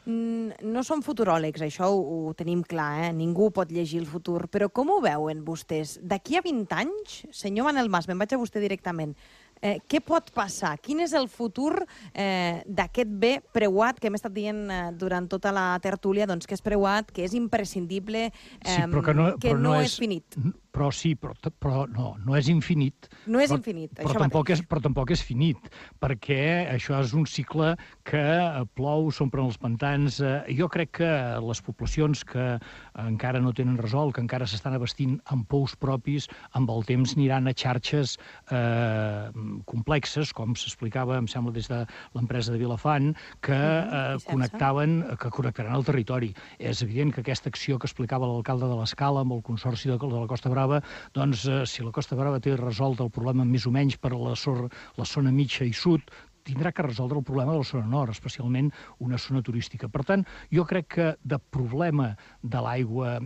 No som futuròlegs, això ho tenim clar, ningú pot llegir el futur, però com ho veuen vostès? D'aquí a 20 anys, senyor Manel Mas, me'n vaig a vostè directament, què pot passar? Quin és el futur d'aquest bé preuat que hem estat dient durant tota la tertúlia, doncs que és preuat, que és imprescindible, que no és finit? Però sí, però no és infinit. No és infinit, això mateix. Però tampoc és finit, perquè això és un cicle que plou, s'omplen els pantans. Jo crec que les poblacions que encara no tenen resolt, que encara s'estan abastint amb pous propis, amb el temps aniran a xarxes complexes, com s'explicava, em sembla, des de l'empresa de Vilafant, que connectaran el territori. És evident que aquesta acció que explicava l'alcalde de l'Escala amb el Consorci de la Costa Brava, doncs si la Costa Brava té resolt el problema més o menys per a la zona mitja i sud, tindrà que resoldre el problema de la zona nord, especialment una zona turística. Per tant, jo crec que de problema de l'aigua,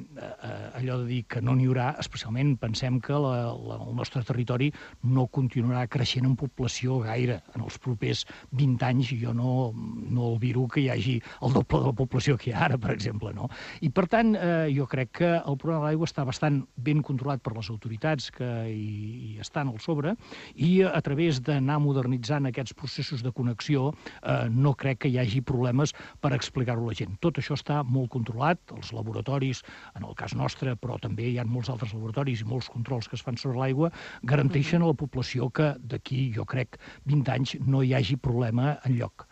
allò de dir que no n'hi haurà, especialment pensem que el nostre territori no continuarà creixent en població gaire. En els propers 20 anys jo no albiro que hi hagi el doble de la població que hi ha ara, per exemple, no? I per tant, jo crec que el problema de l'aigua està bastant ben controlat per les autoritats que hi estan al sobre, i a través d'anar modernitzant aquests processos de connexió, no crec que hi hagi problemes per explicar-ho a la gent. Tot això està molt controlat, els laboratoris, en el cas nostre, però també hi ha molts altres laboratoris i molts controls que es fan sobre l'aigua, garanteixen a la població que d'aquí, jo crec, 20 anys no hi hagi problema enlloc.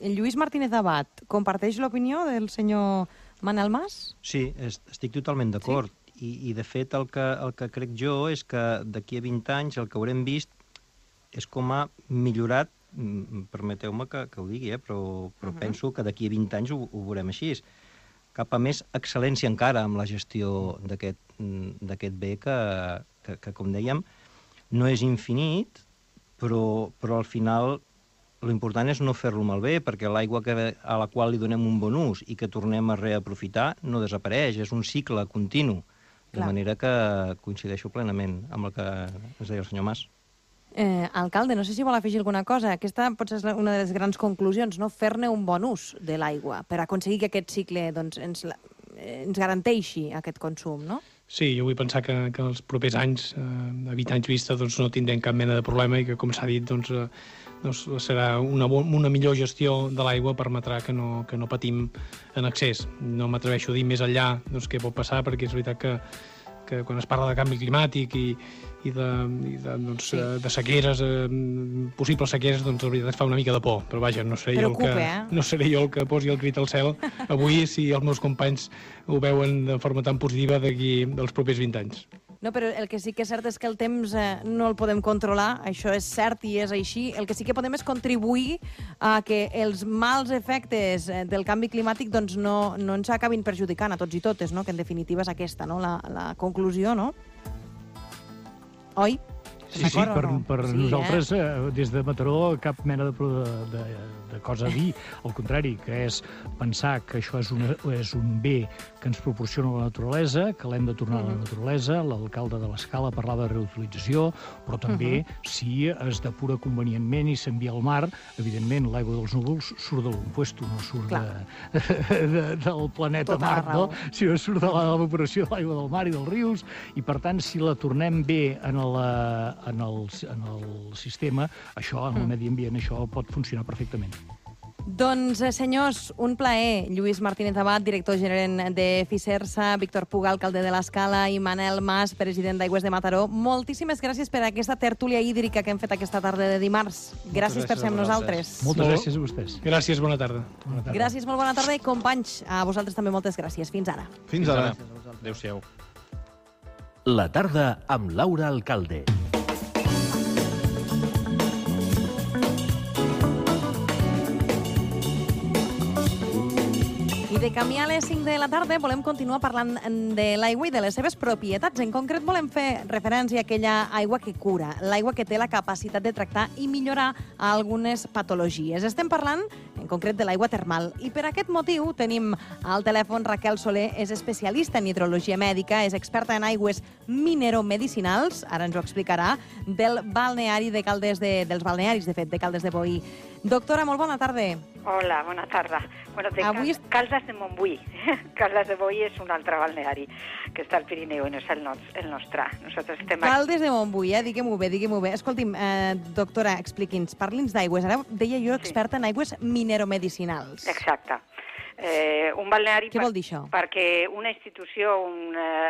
Lluís Martínez Abad, comparteix l'opinió del senyor Manel Mas? Sí, estic totalment d'acord. I de fet, el que crec jo és que d'aquí a 20 anys el que haurem vist és com ha millorat, permeteu-me que ho digui, però penso que d'aquí a 20 anys ho veurem així. Cap a més excel·lència encara amb la gestió d'aquest bé que, com dèiem, no és infinit, però al final l'important és no fer-lo malbé, perquè l'aigua a la qual li donem un bon ús i que tornem a reaprofitar no desapareix, és un cicle continu. De manera que coincideixo plenament amb el que ens deia el senyor Mas. Alcalde, no sé si vol afegir alguna cosa. Aquesta potser és una de les grans conclusions, no? Fer-ne un bon ús de l'aigua per aconseguir que aquest cicle ens garanteixi aquest consum, no? Sí, jo vull pensar que els propers anys, a 20 anys vista, no tindrem cap mena de problema i que, com s'ha dit, serà una millor gestió de l'aigua, permetrà que no patim en excés. No m'atreveixo a dir més enllà què pot passar, perquè és veritat que quan es parla de canvi climàtic i de sequeres, possibles sequeres, doncs la veritat fa una mica de por. Però vaja, no seré jo el que posi el crit al cel avui si els meus companys ho veuen de forma tan positiva d'aquí dels propers 20 anys. No, però el que sí que és cert és que el temps no el podem controlar, això és cert i és així. El que sí que podem és contribuir a que els mals efectes del canvi climàtic no ens acabin perjudicant a tots i totes, no? Que en definitiva és aquesta, no? La conclusió, no? Oi? Sí, per nosaltres, des de Mataró, cap mena de cosa a dir. Al contrari, que és pensar que això és un bé que ens proporciona la naturalesa, que l'hem de tornar a la naturalesa. L'alcalde de l'Escala parlava de reutilització, però també si es depura convenientment i s'envia al mar, evidentment l'aigua dels núvols surt de l'impuesto, no surt del planeta Mart, no? Sinó surt de l'evaporació de l'aigua del mar i dels rius, i per tant, si la tornem bé en el sistema, això, en el medi ambient, això pot funcionar perfectament. Doncs, senyors, un plaer. Lluís Martínez Abad, director gerent de Fisersa, Víctor Puga, alcalde de l'Escala, i Manel Mas, president d'Aigües de Mataró. Moltíssimes gràcies per aquesta tertúlia hídrica que hem fet aquesta tarda de dimarts. Gràcies per ser amb nosaltres. Moltes gràcies a vostès. Gràcies, bona tarda. Gràcies, molt bona tarda, i companys, a vosaltres també moltes gràcies. Fins ara. Fins ara. Adéu-siau. La tarda amb Laura Alcalde. I de camí a les 5 de la tarda volem continuar parlant de l'aigua i de les seves propietats. En concret volem fer referència a aquella aigua que cura, l'aigua que té la capacitat de tractar i millorar algunes patologies. Estem parlant, en concret, de l'aigua termal. I per aquest motiu tenim al telèfon Raquel Soler, és especialista en hidrologia mèdica, és experta en aigües mineromedicinals, ara ens ho explicarà, del balneari de Caldes dels balnearis, de fet, de Caldes de Boí. Doctora, molt bona tarda. Hola, bona tarda. Bueno, Caldes de Montbui. Caldes de Boí és un altre balneari que està al Pirineu i no és el nostre. Nosaltres estem Caldes de Montbui, diguem-ho bé, diguem-ho bé. Escolti'm, doctora, expliqui'ns, parli'ns d'aigües. Ara deia jo experta en aigües mineromedicinals. Exacte. Un balneari... Què vol dir això? Perquè una institució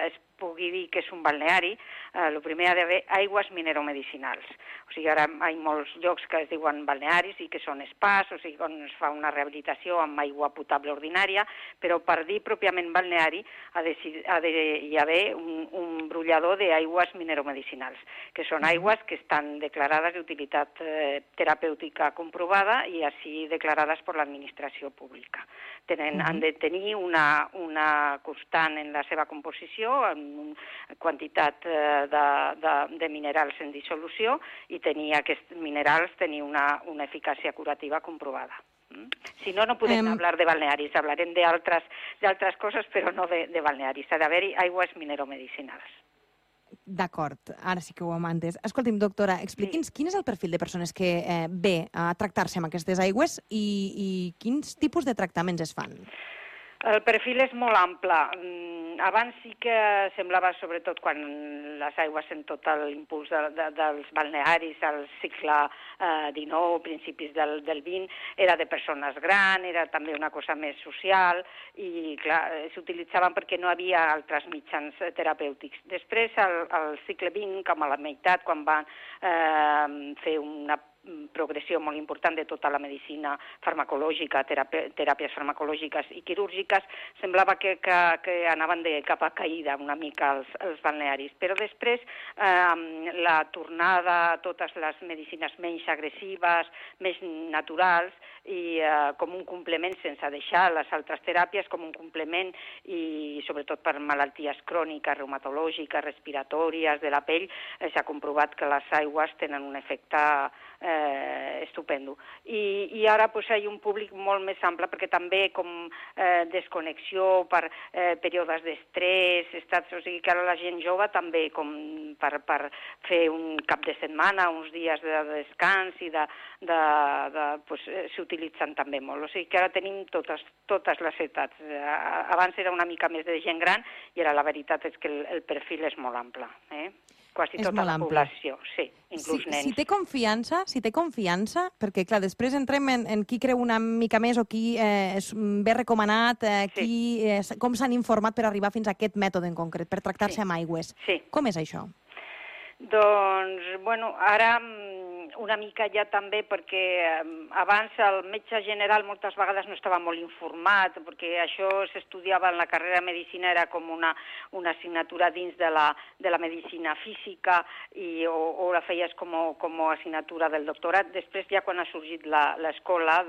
es pugui dir que és un balneari, el primer ha d'haver aigües mineromedicinals. O sigui, ara hi ha molts llocs que es diuen balnearis i que són spas, o sigui, on es fa una rehabilitació amb aigua potable ordinària, però per dir pròpiament balneari ha d'hi haver un brollador d'aigües mineromedicinals, que són aigües que estan declarades d'utilitat terapèutica comprovada i així declarades per l'administració pública. Han de tenir una constant en la seva composició, en quantitat de minerals en dissolució i aquests minerals tenir una eficàcia curativa comprovada. Si no, no podem hablar de balnearis, hablarem d'altres coses, però no de balnearis. Ha d'haver-hi aigües mineromedicinals. D'acord, ara sí que ho hem entès. Escolti'm, doctora, expliqui'ns quin és el perfil de persones que ve a tractar-se amb aquestes aigües i quins tipus de tractaments es fan? El perfil és molt ample. Abans sí que semblava, sobretot quan les aigües en tot l'impuls dels balnearis al segle XIX, principis del XX, era de persones grans, era també una cosa més social i, clar, s'utilitzaven perquè no havia altres mitjans terapèutics. Després, al segle XX, com a la meitat, quan van fer una progressió molt important de tota la medicina farmacològica, teràpies farmacològiques i quirúrgiques, semblava que anaven de capa caïda una mica els balnearis. Però després, la tornada a totes les medicines menys agressives, més naturals, i com un complement, sense deixar les altres teràpies, com un complement, i sobretot per malalties cròniques, reumatològiques, respiratòries, de la pell, s'ha comprovat que les aigües tenen un efecte estupendo. I ara hi ha un públic molt més ample, perquè també com desconnexió per períodes d'estrès, o sigui que ara la gent jove també com per fer un cap de setmana, uns dies de descans i s'utilitzen també molt. O sigui que ara tenim totes les edats. Abans era una mica més de gent gran i ara la veritat és que el perfil és molt ample. Quasi tota la població, sí, inclús nens. Si té confiança, perquè clar, després entrem en qui creu una mica més o qui ve recomanat, com s'han informat per arribar fins a aquest mètode en concret, per tractar-se amb aigües. Com és això? Doncs, bueno, ara una mica ja també perquè abans el metge general moltes vegades no estava molt informat, perquè això s'estudiava en la carrera de medicina, era com una assignatura dins de la medicina física o la feies com a assignatura del doctorat. Després ja quan ha sorgit l'escola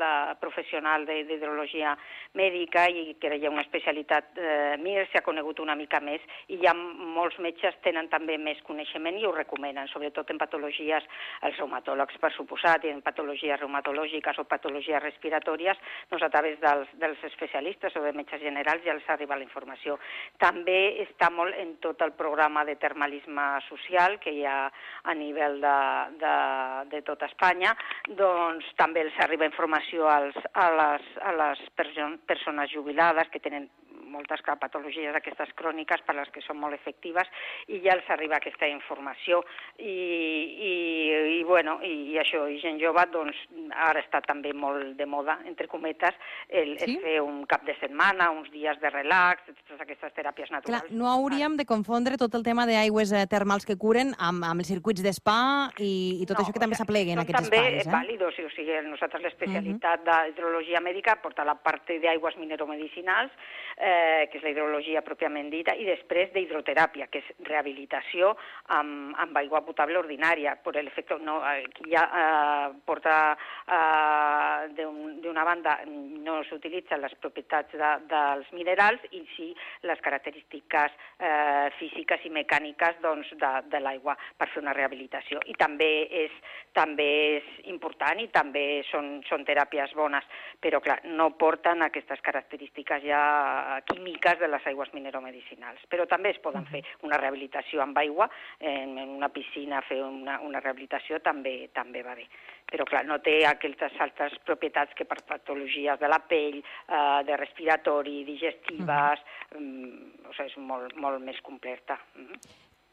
professional d'hidrologia mèdica i que hi ha una especialitat MIR, s'ha conegut una mica més i ja molts metges tenen també més coneixement i ho recomenen, sobretot en patologies, els reumatòlegs per suposat, i en patologies reumatològiques o patologies respiratòries, doncs a través dels especialistes o de metges generals ja els arriba la informació. També està molt en tot el programa de termalisme social que hi ha a nivell de tota Espanya, doncs també els arriba informació a les persones jubilades que tenen moltes patologies aquestes cròniques per les que són molt efectives i ja els arriba aquesta informació i això, i gent jove, doncs ara està també molt de moda, entre cometes, fer un cap de setmana, uns dies de relax, totes aquestes teràpies naturals. Clar, no hauríem de confondre tot el tema d'aigües termals que curen amb els circuits d'espa i tot això que també s'apleguen en aquests espais. També vàlidos, o sigui, nosaltres l'especialitat d'hidrologia mèdica porta la part d'aigües mineromedicinals, que és la hidrologia pròpiament dita, i després d'hidroteràpia, que és rehabilitació amb aigua potable ordinària. Per l'efecte, ja porta, d'una banda, no s'utilitzen les propietats dels minerals i sí les característiques físiques i mecàniques de l'aigua per fer una rehabilitació. I també és important i també són teràpies bones, però clar, no porten aquestes característiques ja químiques de les aigües mineromedicinals. Però també es poden fer una rehabilitació amb aigua, en una piscina fer una rehabilitació també va bé. Però clar, no té aquestes altres propietats que per patologies de la pell, de respiratori, digestives, o sigui, és molt més completa.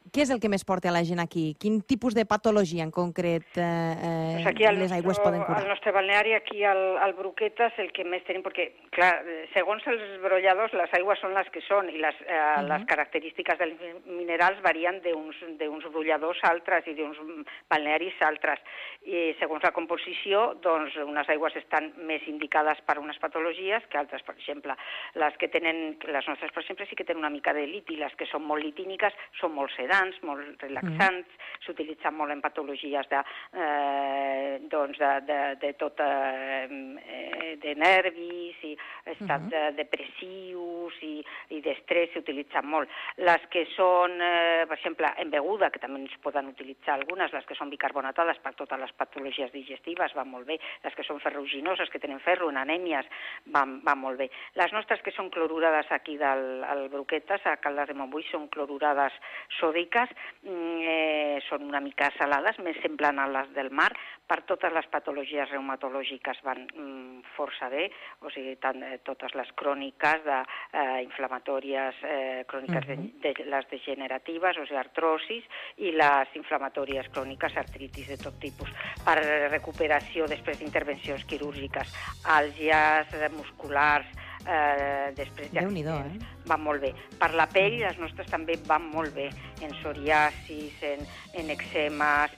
Què és el que més porta a la gent aquí? Quin tipus de patologia en concret les aigües poden curar? Al nostre balneari, aquí al Broquetes, el que més tenim, perquè, clar, segons els brolladors, les aigües són les que són i les característiques dels minerals varien d'uns brolladors a altres i d'uns balnearis a altres. I segons la composició, doncs, unes aigües estan més indicades per unes patologies que altres. Per exemple, les nostres, per exemple, sí que tenen una mica de lit i les que són molt litíniques són molt sedants, molt relaxants, s'utilitzen molt en patologies de nervis i estats depressius i d'estrès s'utilitzen molt. Les que són, per exemple, en beguda, que també es poden utilitzar algunes, les que són bicarbonatades per totes les patologies digestives van molt bé, les que són ferruginoses, que tenen ferro en anèmies, van molt bé. Les nostres que són clorurades aquí del Broquetes, a Caldes de Montbui, són clorurades sòdiques, són una mica salades, més semblant a les del mar, per totes les patologies reumatològiques van força bé, o sigui, totes les cròniques, inflamatòries, cròniques de les degeneratives, o sigui, artrosis, i les inflamatòries cròniques, artritis de tot tipus, per recuperació després d'intervencions quirúrgiques, àlgies musculars, després d'accidents, van molt bé. Per la pell, les nostres també van molt bé, en psoriasis, en eczemes,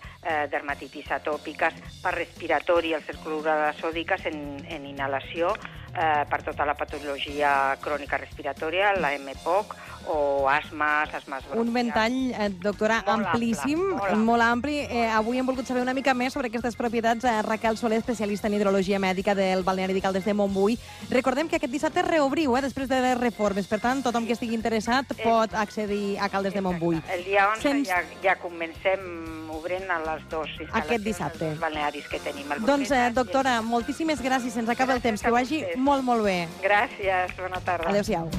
dermatitis atòpiques, per respiratori, el clorurades sòdiques en inhalació, per tota la patologia crònica respiratòria, la MPOC, o asmes bronquials. Un ventall, doctora, amplíssim, molt ampli. Avui hem volgut saber una mica més sobre aquestes propietats. Raquel Soler, especialista en hidrologia mèdica del balneari de Caldes de Montbui. Recordem que aquest dissabte reobriu, després de les reformes. Per tant, tothom que estigui interessat pot accedir a Caldes de Montbui. El dia 11 ja comencem obrint a les dues instal·lacions dels balnearis que tenim. Doncs, doctora, moltíssimes gràcies. Se'ns acaba el temps. Que ho vagi molt, molt bé. Gràcies. Bona tarda. Adéu-siau.